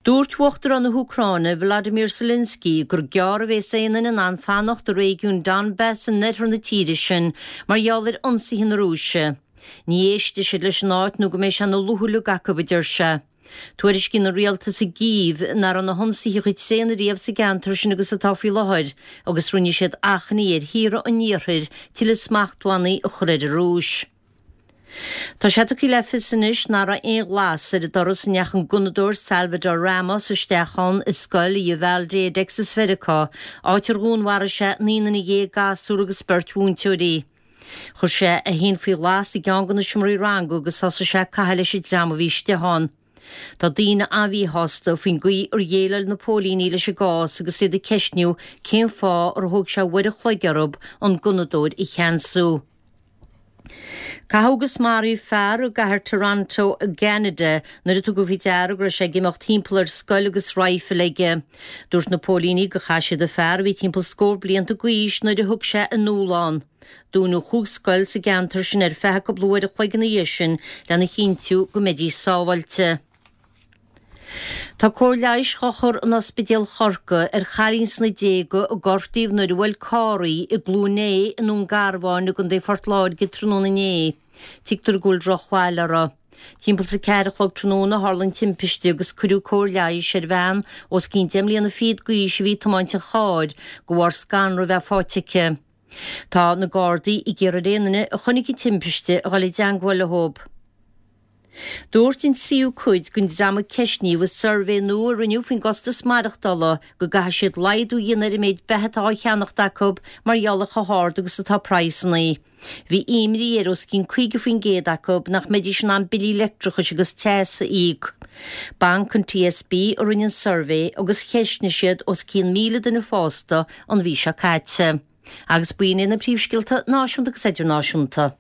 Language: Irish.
Dúirt Uachtarán na hÚcráine, Volodymyr Zelensky, gur gearr a bhéas aon duine in ann fanacht i réigiún Donbas in oirthear na tíre sin mar gheall ar ionsaithe na Rúise. Ní éistfidh siad leis an áit nó go mbeidh sé ina lúthluag acu, a deir sé. Tuairiscíonn an rialtas i gCív nach raibh na hionsaithe chomh tréan ariamh sa gceantar sin agus atá faoi láthair agus rinne siad achainí ar thíortha an iarthair tuilleadh smachtbhannaí a chur ar an Rúis. Tá sé tugtha le fios anois nach raibh aon ghlas ar an doras a ndeachaigh an gunnadóir Salvador Ramos isteach ann i scoil i Uvalde i dTexas Mheiriceá, áit ar dhúnmharaigh sé 19 nduine, gasúr agus beirt mhúinteoirí. Chuir sé é féin faoi ghlas i gceann de na seomraí ranga agus thosaigh sé ag caitheamh leis an dream a bhí istigh ann. Tá daoine an-mhíshásta faoin gcaoi ar dhéileáil na póilíní leis an gcás agus iad ag ceistniú cén fáth ar thóg sé uair an chloig orthu an gunnadóir a cheansú. Caitheadh agus maraíodh fear i gcathair Toronto i gCeanada nuair a tugadh faoi deara go raibh sé ag imeacht timpeall ar scoil agus raidhfil aige. Dúirt na póilíní gur chaith siad an fear, a bhí timpeall scór blianta d'aois, nuair a thug sé anall ann. Dúnadh chúig scoil sa gceantar sin ar feadh cúpla uair a chloig ina dhiaidh sin lena chinntiú go mbeidís sábháilte. Tá cóir leighis á chur in Ospidéal Chorcaí ar chailín sna déaga a gortaíodh nuair a bhuail carr í i gCluain Aodha i nDún Garbhán i gContae Phort Láirge tráthnóna inné. Tuigtear go bhfuil drochbhail uirthi. Timpeall is a ceathair a chlog tráthnóna a tharla an timpiste agus cuireadh cóir leighis ar bhean os cionn deich mbliana fichead d'aois a bhí ag tiomáint an chairr de bharr scanradh a bheith faighte aici. Tá na Gardaí ag iarraidh ar aon duine a chonaic an timpiste a dhul i dteangmháil leo. Dúirt an tríú cuid den dream a ceistníodh i suirbhé nua a rinneadh faoin gcostas maireachtála go gcaithfidh siad laghdú a dhéanamh ar an méid beatha atá á cheannacht acu mar gheall ar chomh hard agus atá praghsanna. Bhí imní ar os cionn 50% acu nach mbeidís in ann billí leictreachais agus teas a íoc. Banc an TSB a rinne an suirbhé agus cheistnigh siad os cionn 1,000 duine fásta an mhí seo caite. Agus b'in iad na príomhscéalta náisiúnta agus idirnáisiúnta.